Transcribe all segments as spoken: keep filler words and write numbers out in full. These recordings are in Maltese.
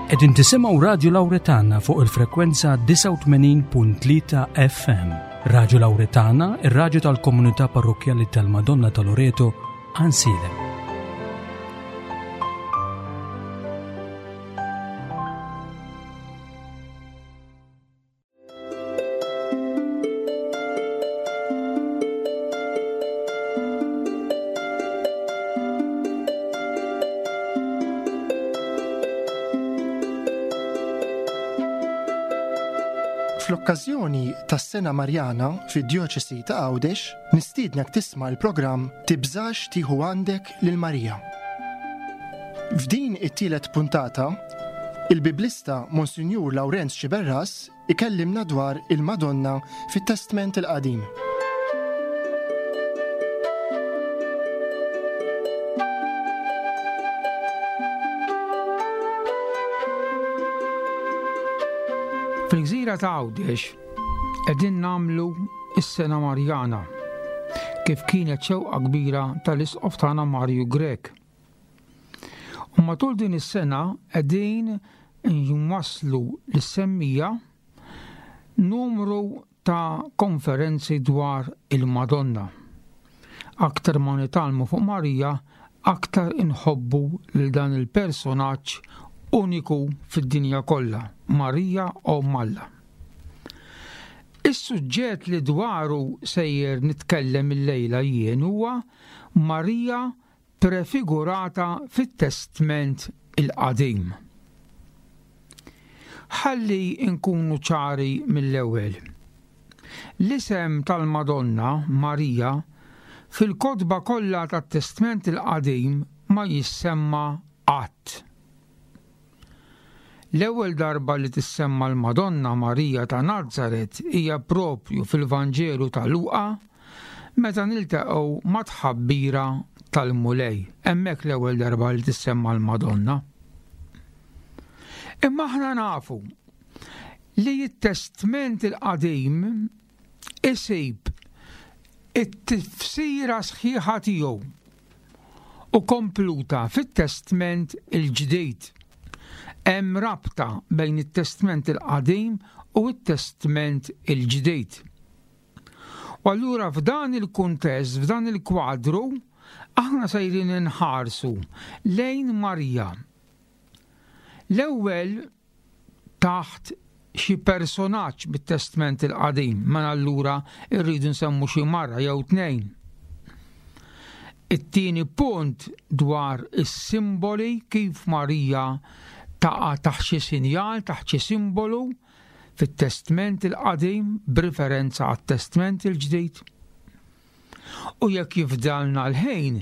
Qegħdin tisimgħu Radju Lawretana fuq il-frekwenza disgħa u tmenin punt tlieta F M. Radju Lawretana, ir-radju tal-komunità parrokkjali tal-Madonna ta' Loreto, Għajnsielem. Fl-okkażjoni tas-Sena Marjana fid-Djoċesi ta' Għawdex, nistiednek tisma' l-programm Tibżax tieħu għandek lil Marija. F'din it-tielet puntata, il-Biblista Monsinjur Lawrenz Sciberras ikellimna dwar il-Madonna fit-Testment il-Qadim. Fil-gżira ta' Għawdex qegħdin nagħmlu s-Sena Marjana kif kienet xewqa kbira tal-Isqof tagħna Mario Grech. U matul din is-sena qegħdin nwasslu lis-semmija numru ta' konferenzi dwar il-Madonna. Aktar ma nitgħallmu fuq Marija, aktar inħobbu lil dan il-personaġġ uniku fid-dinja kollha, Marija Omm Alla. Is-suġġett li dwaru sejjer nitkellem illejla jien huwa Marija prefigurata fit-Testment il-Qadim. Ħalli nkunu ċari mill-ewwel. L-isem tal-Madonna Marija fil-kotba kollha tat-Testment il-Qadim ma jissemma qatt. L-ewwel darba li tissemma l-Madonna Marija ta' Nazaret hija propju fil-Vanġelu ta' Luqa meta niltaqgħu ma' tħabbira tal-Mulej. Hemmhekk l-ewwel darba li tissemma l-Madonna. Imma aħna nafu li t-Testment il-Qadim isib it-tifsira sħiħa tiegħu u kompluta fit-Testment il-Ġdid. Hemm rabta bejn it-Testment il-Qadim u t-Testment il-Ġdid. U allura f'dan il-kuntest, f'dan il-kwadru, aħna sejrin inħarsu lejn Marija. L-ewwel taħt xi personaġġ bit-Testment il-Qadim, ma allura rridu nsemmu xi marra jew tnejn. It-tieni punt dwar is-simboli kif Marija taqa' taħt xi sinjal, taħt xi simbolu fit-Testment il-Qadim b'riferenza għat-Testment il-Ġdid. U jekk jifdalna l-ħin,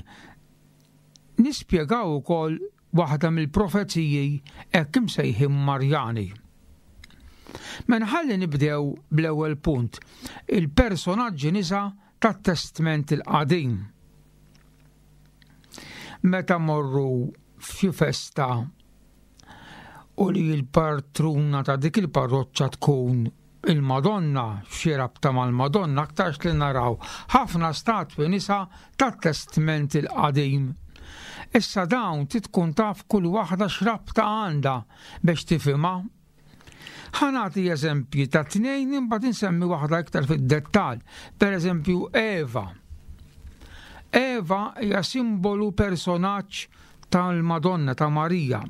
nispjegaw ukoll waħda mill-profeziji hekk imsejħin Marjani. Mela ħalli nibdew bl-ewwel punt, il-personaġġi nisa tat-Testment il-Qadim. Meta morru f'xi festa u li l-patruna ta' dik il-parroċċa tkun il-Madonna, xi rabta mal-Madonna, aktarx li naraw ħafna statwi nisa tat-Testment il-Qadim. Issa dawn trid tkun taf kull waħda x'rabta għandha biex tifhimha. Ħa nagħti eżempji ta' tnejn imbagħad insemmi waħda iktar fid-dettall. Per eżempju Eva. Eva hija simbolu personaġġ tal-Madonna ta' Marija.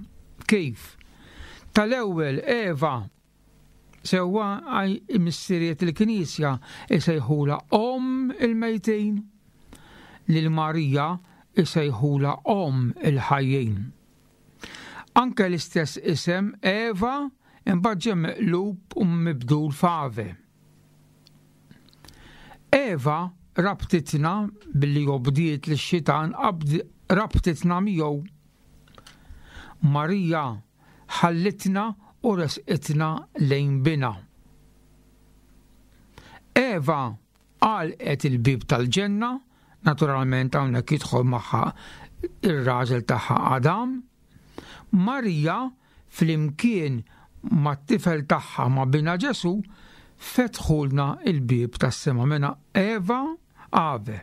Kif? Tal-ewwel Eva sewwa għaj missiriet il-Knisja isejħula Omm il-mejtin, lil Marija isejħula Omm il-ħajjin. Anke l-istess isem Eva imbagħad ġie meqlub u mibdul f'Ave. Eva rabtitna billi obdiet lix-xitan, abd-, rabtitna miegħu. Marija ħallitna u resqitna lejn bina. Eva għalqet il-bib tal-ġenna, naturalment hawnhekk jidħol magħha ir-raġel tagħha Adam. Marija flimkien mat-tifel tagħha ma' bina Ġesu fetħulna il-bib tas-sema. Mela Eva Ave.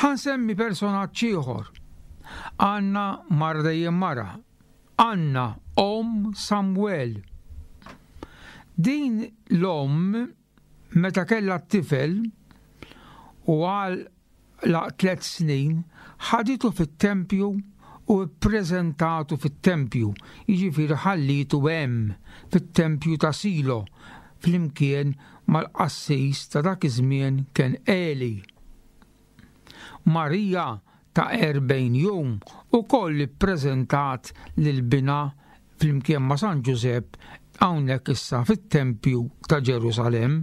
Ħansemmi personaġġ ieħor. Għandna mara dejjem mara, Anna, omm Samwel. Din l-omm meta kellha t-tifel u għal la tliet snin ħaditu fit-tempju u ppreżentatu fit-tempju, jiġifieri ħallitu hemm fit-tempju ta' Silo flimkien mal-qassis ta' dak iż-żmien kien Eli. Marija ta' erbgħin jum ukoll ippreżentat lil binha flimkien ma' San Ġużepp hawnhekk issa fit-tempju ta' Ġerusalemm.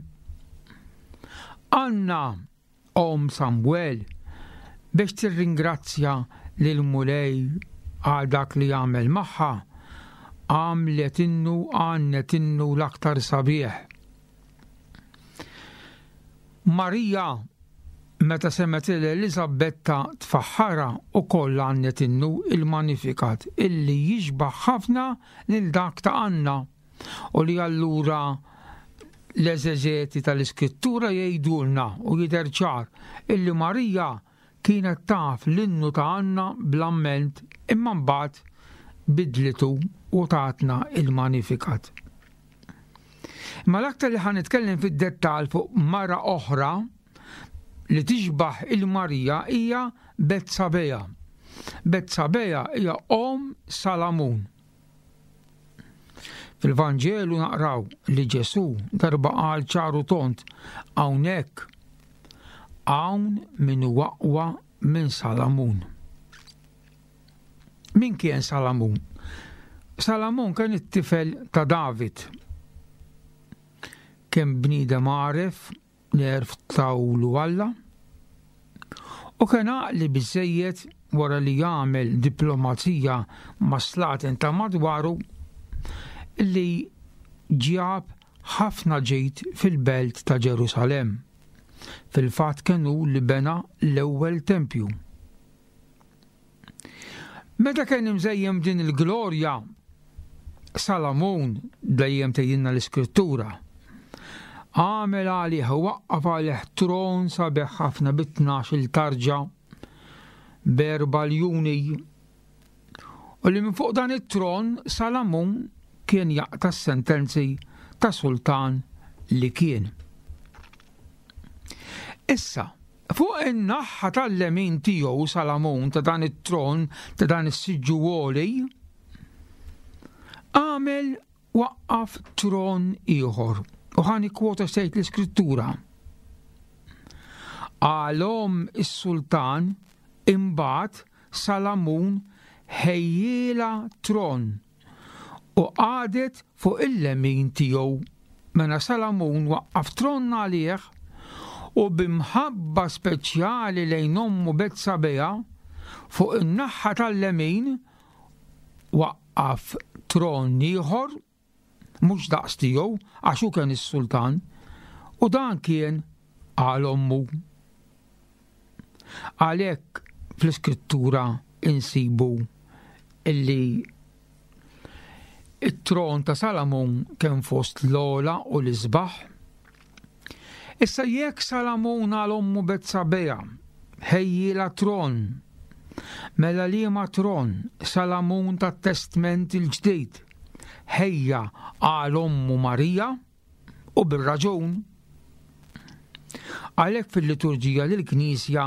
Anna, omm Samwel, biex tirringrazzja lil Mulej għal dak li għamel magħha, għamlet innu, għannet innu l-aktar sabiħ. Marija, meta semgħet lil Eliżabetta tfaħħarha, ukoll għannet innu il-Magnificat illi jixbaħ ħafna lil dak ta' Anna, u li allura l-eżeġeti tal-Iskrittura jgħidulna u jidher ċar illi Marija kienet taf l-innu ta' Anna bl-amment, imma mbagħad bidlitu u tatna il-Magnificat. Imma l-aktar li ħa nitkellem fid-dettall fuq mara oħra li tixbaħ il-Marija hija Betsabeja. Betsabeja hija omm Salamun. Fil-Vanġelu naqraw li Ġesù darba qal ċaru tont, hawnhekk hawn min huwa aqwa minn Salamun. Min kien Salamun? Salamun kien it-tifel ta' David. Kien bniedem għaref li għerf tawlu Alla, u kien għaqli biżżejjed wara li jagħmel diplomazija ma' slaten ta' madwaru li ġab ħafna ġid fil-belt ta' Ġerusalemm. Fil-fatt kien hu li bena l-ewwel tempju. Meta kien imżejjem din il-glorja, Salamun, dejjem tgħidilna l-Iskrittura, għamel għalih u waqqaf għalih tron sabiħ ħafna bi tnax-il tarġa b'erba' ljuni, u li minn fuq dan it-tron Salamun kien jaqta' s-sentenzi ta' sultan li kien. Issa, fuq in-naħa tal-lemin tiegħu Salamun ta' dan it-tron, ta' dan is-siġġu għoli, għamel waqqaf tron ieħor. U ħani kwota sejt l-Iskrittura. Għalhom is-sultan imbagħad Salamun ħejjiela tron u qagħdet fuq il-lemin tiegħu. Mela Salamun waqqaf tron għalih u b'imħabba speċjali lejn ommu Betsabeja fuq in-naħa tal-lemin waqqaf tron ieħor mhux daqs tiegħu għax hu kien is-sultan, u dan kien għal ommu. Għalhekk fl-Iskrittura insibu illi it-tron ta' Salamun kien fost l-ogħla u l-isbaħ. Issa jekk Salamun għal ommu Betsabeja ħejjila tron, mela liema tron Salamun tat-Testment il-Ġdid ħejja għal ommu Marija, u bir-raġun. Għalhekk fil-liturġija lill-Knisja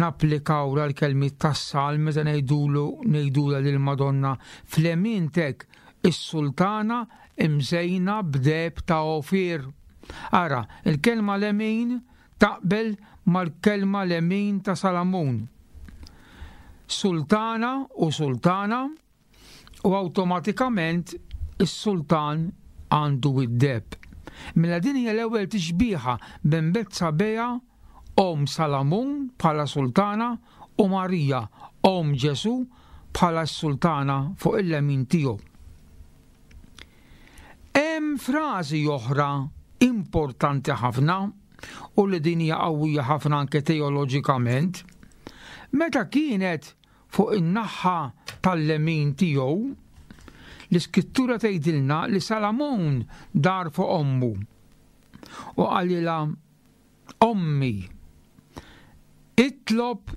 napplikaw l-kelmiet tas-salm meta ngħidulu ngħidula lil Madonna fl-emintek is-sultana imżejna b'deheb ta' Ofir. Ara, il-kelma lemin taqbel mal-kelma lemin ta' Salamun. Sultana u sultana, u awtomatikament is-sultan għandu id-deheb. Mela din hija l-ewwel tixbiha bejn Betsabeja, omm Salamun bħala sultana, u Marija, omm Ġesu bħala s-sultana fuq il-lemin tiegħu. Hemm frażi oħra importanti ħafna u li din hija qawwija ħafna anke teoloġikament. Meta kienet fuq in-naħa tal-lemin tiegħu, l-Iskrittura tgħidilna li Salamun dar fuq ommu u qalilha: Ommi, itlob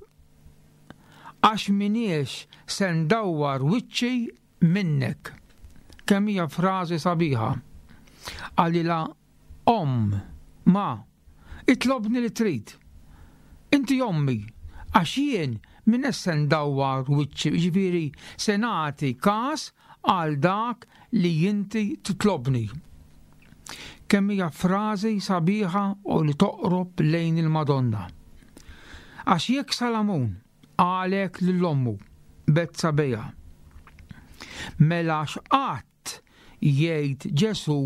għax miniex se ndawwar wiċċi minnek. Kemm hija frażi sabiħa. Qalilha omm, ma, itlobni li trid. Inti ommi, għax jien m'iniex se ndawwar wiċċi, jiġifieri se nagħti kas għal dak li inti titlobni. Kemm hija frażi sabiħa u li toqrob lejn il-Madonna. Għax jekk Salamun qalek lil ommu Betsabeja, mela x'qatt jgħid Ġesù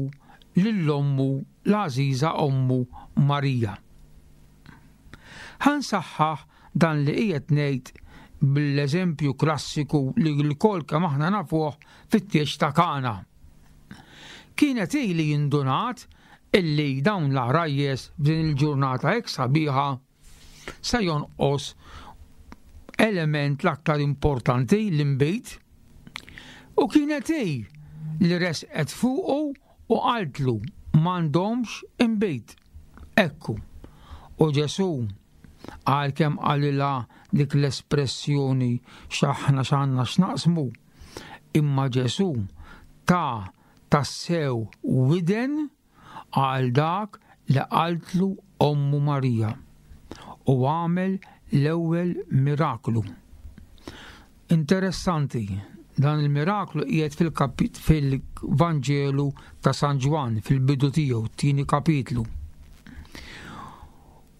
lil ommu l-għażiża ommu Marija. Ħa nsaħħaħ dan li qiegħed ngħid bl-eżempju klassiku li lkoll kemm aħna nafuh fit-tieġ ta' Kana. Kienet hi li indunat illi dawn l-għarajjes f'din il-ġurnata hekk sabiħa se jonqos element l-aktar importanti, l-inbid, u kienet hi li resqet fuqu u qaltlu m'għandhomx inbid. Ekku. U Ġesù għalkemm qalilha dik l-espressjoni x'aħna x'għandna x'naqsmu, imma Ġesù ta tassew widen għal dak li qaltlu ommu Marija u għamel l-ewwel miraklu. Interessanti, dan il-miraklu qiegħed fil-Vanġelu ta' San Ġwann fil-bidu tiegħu, tieni kapitlu.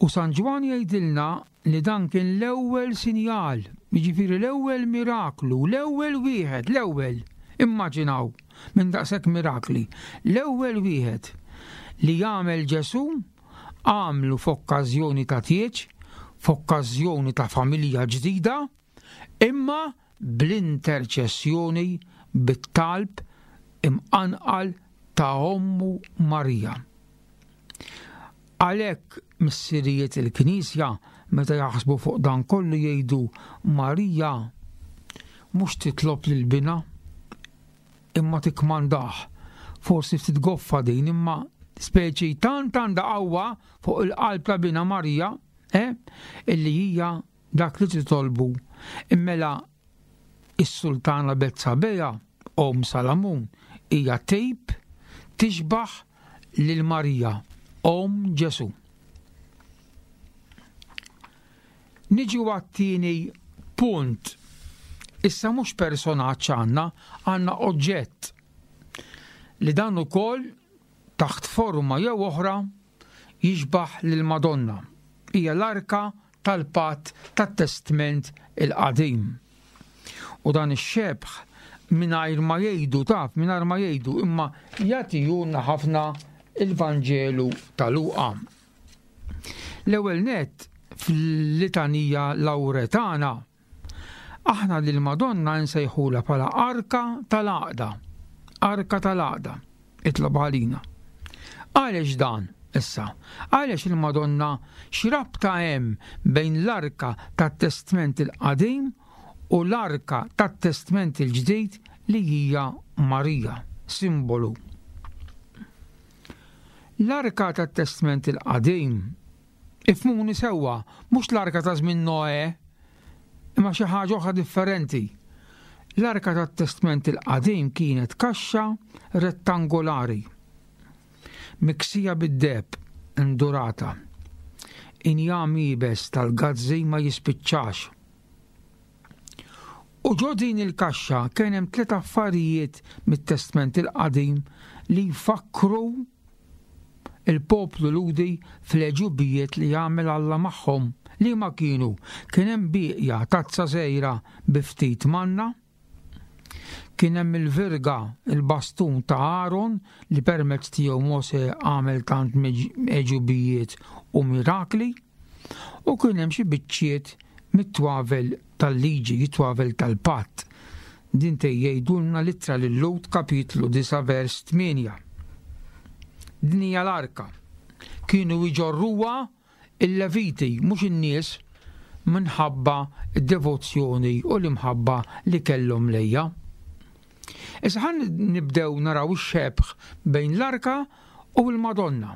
U San Ġwann jgħidilna li dan kien l-ewwel sinjal, jiġifieri l-ewwel miraklu, l-ewwel wieħed, l-ewwel, immaġinaw minn daqshekk mirakli, l-ewwel wieħed li jagħmel Ġesù għamlu f'okkażjoni ta' tieġ, f'okkażjoni ta' familja ġdida, imma bl-interċessjoni, bit-talb imqanqal ta' ommu Marija. Għalhekk missirijiet il-Knisja meta jaħsbu fuq dan kollu jgħidu Marija mhux titlob lil binha imma tikkmandah. Forsi ftit goffa din, imma speċi tant għandha qawwa fuq il-qalb ta' binha Marija, eh, illi hija dak li titolbu. Immela is-sultana Betsabeja, omm Salamun, hija tip tixbaħ lil Marija, omm Ġesù. Niġu għat-tieni punt. Issa mhux personaġġ għandna, għandna oġġett li dan ukoll taħt forma jew oħra jixbaħ lil Madonna. Hija l-arka tal-patt tat-Testment il-Qadim. U dan ix-xebħ mingħajr ma jgħidu, taf, mingħajr ma jgħidu, imma jagħtihulna ħafna il-Vanġelu ta' Luqa. L-ewwel nett fil-litanija Lawretana aħna lil Madonna nsejħula bħala arka tal-għaqda. Arka tal-għaqda, itlob għalina. Għaliex dan issa? Għaliex il-Madonna x'rabta hemm bejn l-arka tat-Testment il-Qadim u l-arka tat-Testment il-Ġdid li hija Marija, simbolu. L-arka tat-Testment il-Qadim, ifhmuni sewwa, mhux l-arka ta' żmien Noè, imma xi ħaġa oħra differenti. L-arka tat-Testment il-Qadim kienet kaxxa rettangolari, miksija bid-deheb indurata, injam iebes tal-gazzi ma jispiċċax. U ġo din il-kaxxa kien hemm tliet affarijiet mit-Testment il-Qadim li jfakkru il-poplu Lhudi fl-għeġubijiet li jagħmel Alla magħhom. Li ma kienu? Kien hemm bieqja tazza żgħira bi ftit manna, kien hemm il-virga, il-bastun ta' Aaron li permezz tiegħu Mose għamel tant għeġubijiet u mirakli, u kien hemm xi biċċiet mit-twavel tal-liġi, it-twavel tal-patt. Din tgħidulna l-ittra lil-Lhud kapitlu disa' vers tmienja. Din hija l-arka. Kienu jġorruha il-Leviti, mhux in-nies, minħabba d-devozzjoni u l-imħabba li kellhom lejja. Issa ħan nibdew naraw ix-xebħ bejn l-arka u l-Madonna.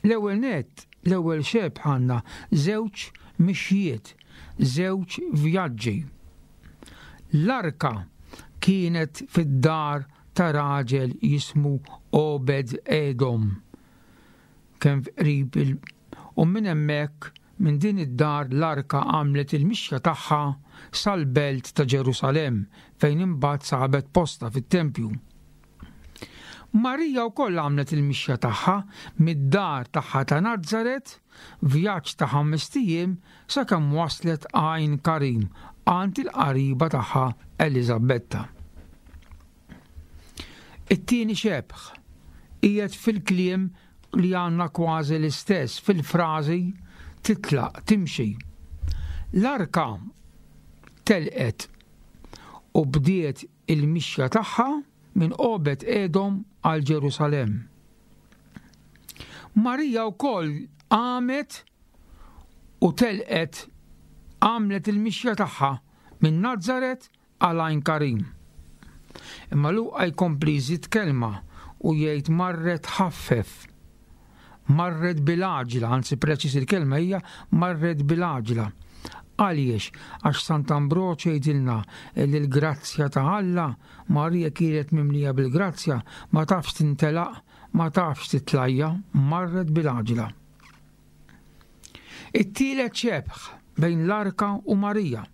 L-ewwel nett, l-ewwel xebħ għandna żewġ mixjiet, żewġ vjaġġi. L-arka kienet fid-dar ta' raġel jismu Obed Edom. Kien qrib il u minn hemmhekk minn din id-dar l-arka għamlet il-mixja tagħha sal-belt ta' Ġerusalemm fejn imbagħad sabet posta fit-tempju. Marija wkoll għamlet il-mixja tagħha mid-dar tagħha ta' Nazaret, vjaġġ ta' ħames ijiem sakemm waslet Għajn Karim għand il-qariba tagħha Eliżabetta. It-tieni xebħ qiegħed fil-kliem li għandna kważi l-istess fil-frażi titlaq, timxi. L-arka telqet u bdiet il-mixja tagħha minn Obed Edom għal Ġerusalemm. Marija wkoll qamet u telqet, għamlet il-mixja tagħha minn Nazaret għal Għajn Karim. Imma Luqa jkompli jżid kelma u jgħid marret ħaffef. Marret bil-għaġla, anzi preċis il-kelma hija marret bil-għaġla. Għaliex? Għax Sant'Ambroġ jgħidilna li l-grazzja ta' Alla, Marija kienet mimlija bil-grazzja, ma tafx tintelaq, ma tafx titlajja, marret bil-għaġla. It-tielet xebħ bejn l-arka u Marija.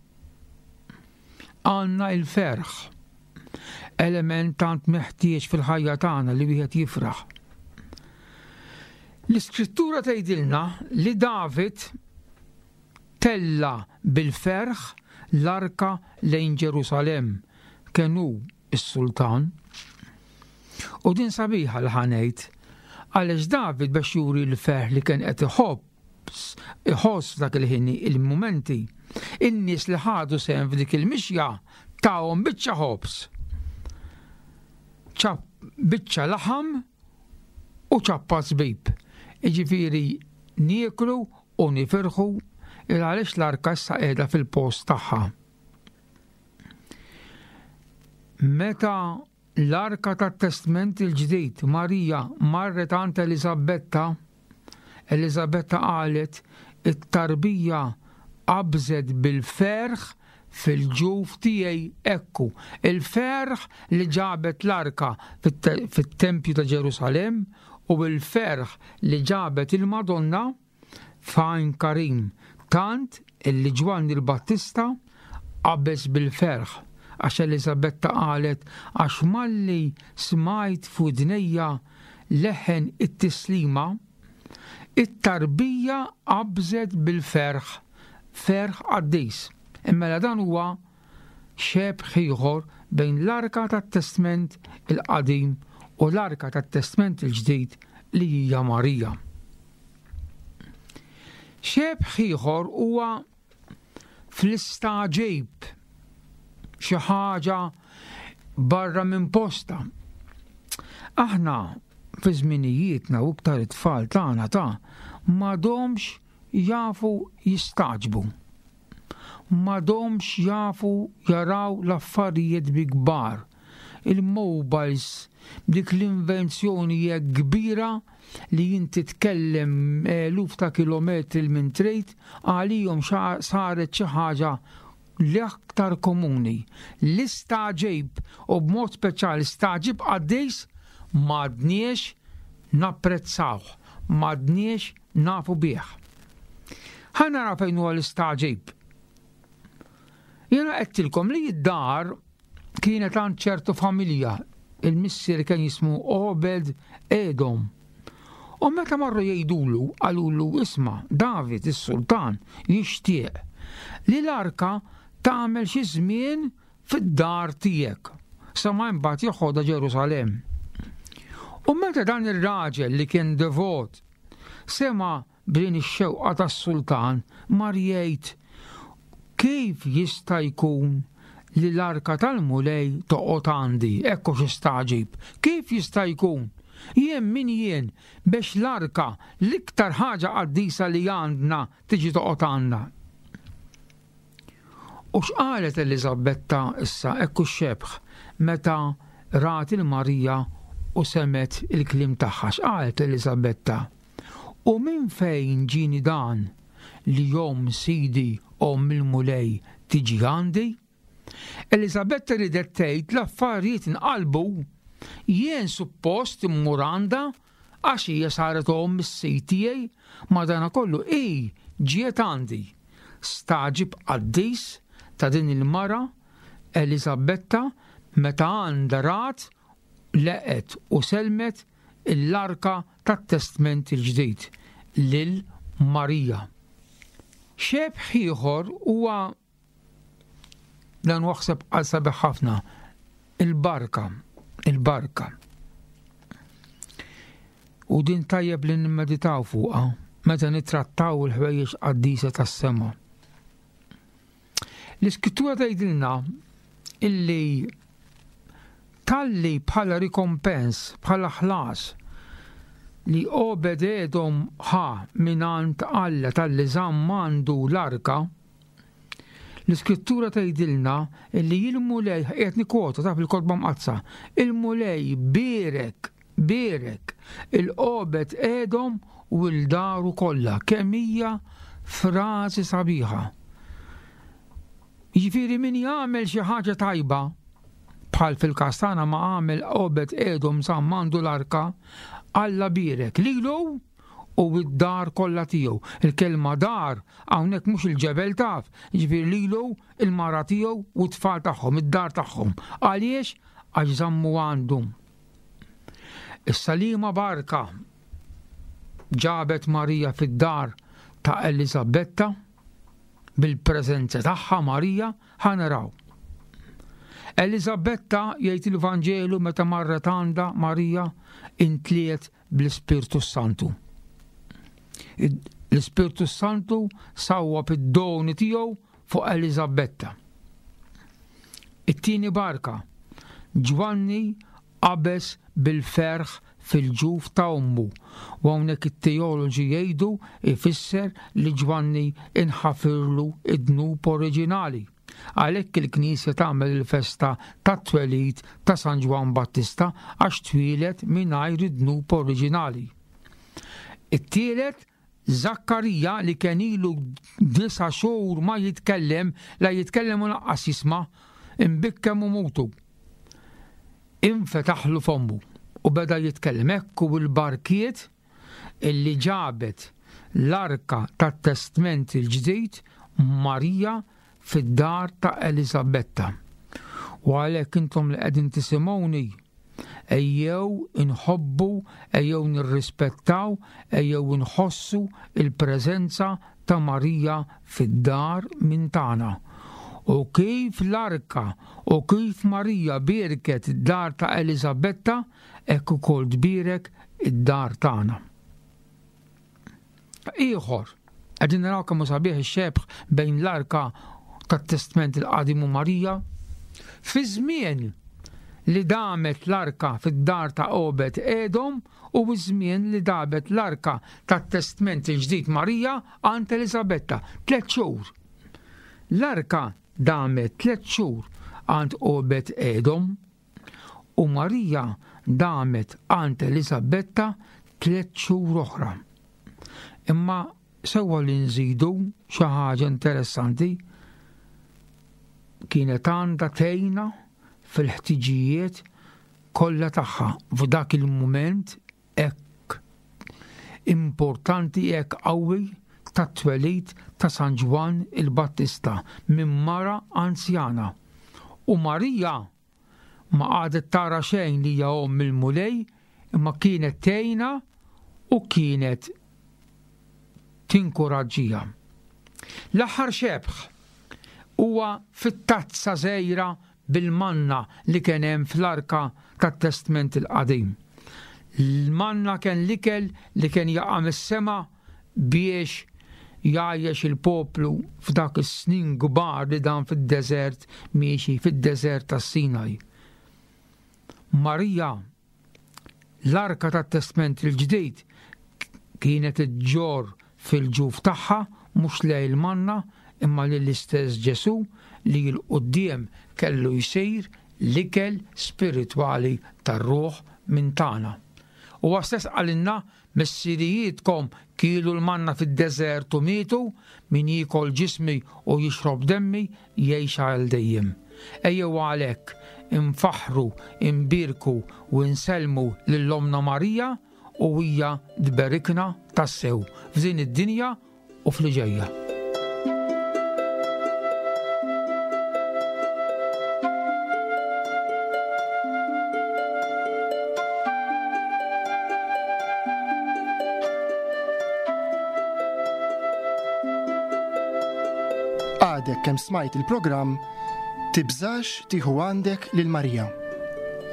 Għandna il-ferħ, element tant meħtieġ fil-ħajja tagħna li wieħed jifraħ. L-iskrittura tgħidilna li David tella bil-ferħ l-arka lejn Ġerusalemm, kien hu s-sultan. U din sabiħa l ħanejt, għaliex David biex juri l-ferħ li kien qed iħobb, iħoss f'dak il-ħin il-mumenti, in-nies li ħadu sehem f'dik il-mixja tahom biċċa ħobż, biċċa laħam u ċappa żbib. Jiġifieri nieklu u nifirħu il għaliex l-arka issa qiegħda fil-post tagħha. Meta l-arka tat-Testment il-Ġdid Marija marret għand Eliżabetta, Eliżabetta qalet it-tarbija qabżet bil-ferħ fil-ġuf tiegħi. Ekku, il-ferħ li ġabet l-arka fit-tempju ta' Ġerusalemm u il-ferħ li ġabet il-Madonna f'Għajn Karim, tant illi Ġwanni l-Battista qabeż bil-ferħ, għax Eliżabetta qalet għax malli smajt f'widnejja leħen it-tislima, it-tarbija qabżet bil-ferħ, ferħ qaddis. Imma dan huwa xebħ ieħor bejn l-arka tat-Testment il-Qadim u l-arka tat-Testment il-Ġdid li hija Marija. Xebħ ieħor huwa fl-istaġib, xi ħaġa barra minn posta. Aħna fi żminijietna u iktar it-tfal tagħna ta' m'għadhomx jafu jistaġbu. M'għadhomx jafu jaraw l-affarijiet bi kbar. Il-mobiles, dik l-invenzjoni hekk kbira li inti tkellem eluf ta' kilometri minn trid, għalihom saret xi ħaġa l-aktar komuni. L-istaġib u b'mod speċjali staġib qaddis m'għadniex napprezzawh, m'għadniex nafu bih. Ħa nara fejn huwa l-istaġib. Jiena għedtilkom li d-dar kienet għand ċertu familja, il-missier kien jismu Obed Edom. U meta marru jgħidulu, qalulu isma' David is-sultan jixtieq li l-arka tagħmel xi żmien fid-dar tiegħek sa ma mbagħad joħodha Ġerusalemm. U meta dan ir-raġel li kien devot sema b'din ix-xewqa tas-sultan mar jgħid kif jista' jkun li l-arka tal-Mulej toqgħod għandi, ekku xi staġib. Kif jista' jkun? Jien min jien biex l-arka l-iktar ħaġa qaddisa li għandna tiġi toqgħod għandna. U x'qalet Eliżabetta issa, ekku x-xebħ, meta rat il-Marija u semet il-kliem tagħha, x'qalet Eliżabetta? U minn fejn ġieni dan li jom sidi omm il-Mulej tiġi għandi? Eliżabetta ridet tgħid l-affarijiet inqalbu, jien suppost immur għandha għax hija saret omm is-Sid tiegħi, madanakollu hi ġiet għandi. Stagħġib qaddis ta' din il-mara Eliżabetta meta għandha rat, leqet u selmet l-arka tat-Testment il-Ġdid lil Marija. Xebh ieħor huwa dan waħseb għal sabiħ ħafna, il-barka, il-barka. U din tajjeb li nimmeditaw fuqha meta nittrattaw il-ħwejjeġ qaddisa tas-sema. L-Iskrittura tgħidilna illi talli bħala rikompens, bħala ħlas li Obed Edom ħa mingħand Alla talli żamm għandu l-arka, l-Iskrittura tgħidilna illi il-Mulej, qiegħed nikkwota ta' fil-Kotba Mqaddsa, il-Mulej bierek, bierek il-Obed Edom u l-daru kollha. Kemm hija frażi sabiħa. Jiġifieri min jagħmel xi ħaġa tajba, bħal fil-każ tagħna ma għamel Obed Edom żamm għandu l-arka, Alla bierek lilu u d-dar kollha tiegħu. Il-kelma dar hawnhekk mhux il-ġebel taf, jiġifieri lilu, il-mara tiegħu u t-tfal tagħhom, id-dar tagħhom. Għaliex? Għax żammu għandu. Issa liema barka ġabet Marija fid-dar ta' Eliżabetta bil-preżenza tagħha Marija, ħa naraw. Eliżabetta, jgħid il-Vanġelu, meta marret għandha Marija, intliet bl-Ispirtu Santu. L-Ispirtu Santu sawwab id-doni tiegħu fuq Eliżabetta. It-tieni barka, Ġwanni qabeż bil-ferħ fil-ġuf ta' ommu. U hawnhekk it-teoloġi jgħidu ifisser li Ġwanni inħafirlu id-dnub oriġinali. Għalhekk il-Knisja tagħmel il-festa tat-twelid ta' San Ġwann Battista għax twieled mingħajr id-dnub oriġinali. It-tielet, Zakkarija li kien ilu disa' xhur ma jitkellem, la jitkellem u lanqas jisma', imbikkem u mutu. Infetaħlu fommu u beda jitkellem. Ekku l-barkiet illi ġabet l-arka tat-Testment il-Ġdid Marija fid-dar ta' Eliżabetta. U għalhekk intom li qegħdin tisimgħuni, ejjew inħobbu, ejjew nirrispettaw, ejjew inħossu il-preżenza ta' Marija fid-dar minn tagħna. U kif l-arka u kif Marija bierket id-dar ta' Eliżabetta, hekk ukoll tbierek id-dar tagħna. Ieħor, qegħdin naraw kemm hu sabiħ ix-xebh bejn l-arka tat-Testment il-Qadim u Marija. Fi żmien li damet l-arka fid-dar ta' Obed Edom u żmien li damet l-arka tat-Testment il-Ġdid Marija għand Eliżabetta, tliet xhur. L-arka damet tliet xhur għand Obed Edom u Marija damet għand Eliżabetta tliet xhur oħra. Imma sewwa li nżidu xi ħaġa interessanti, kienet għandha tgħinha fil-ħtiġijiet kollha tagħha f'dak il-mument hekk importanti, hekk qawwi tat-twelid ta' San Ġwann il-Battista minn mara anzjana. U Marija ma qagħdet tara xejn li hija omm il-Mulej, imma kienet tgħinha u kienet tinkuraġġiha. L-aħħar xebh huwa fit-tazza żgħira bil-manna li kien hemm fl-arka tat-Testment il-Qadim. Il-manna kien l-ikel li kien jaqa' mis-sema biex jgħajjex il-poplu f'dak is-snin kbar li dan fid-deżert miexi fid-deżert tas-Sinaj. Marija, l-arka tat-Testment il-Ġdid, kienet iġġorr fil-ġuf tagħha mhux lej il-manna imma lill-istess Ġesu li l-quddiem kellu jsir l-ikel spiritwali tar-ruħ minn tagħna. Huwa stess qalilna, missirijietkom kielu l-manna fid-deżert u mietu, min jiekol ġismi u jixrob demmi jgħix għal dejjem. Ejjew għalhekk infaħħru, imbierku u nsellmu lil Ommna Marija u hija tberikna tassew f'din id-dinja u f'li ġejja. Għadek kemm smajt il-programm Tibżax tieħu għandek lil Marija.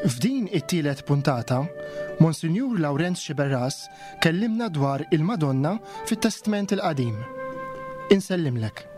F'din it-tielet puntata, Monsinjur Lawrenz Sciberras kellimna dwar il-Madonna fit-Testment il-Qadim. Insellimlek.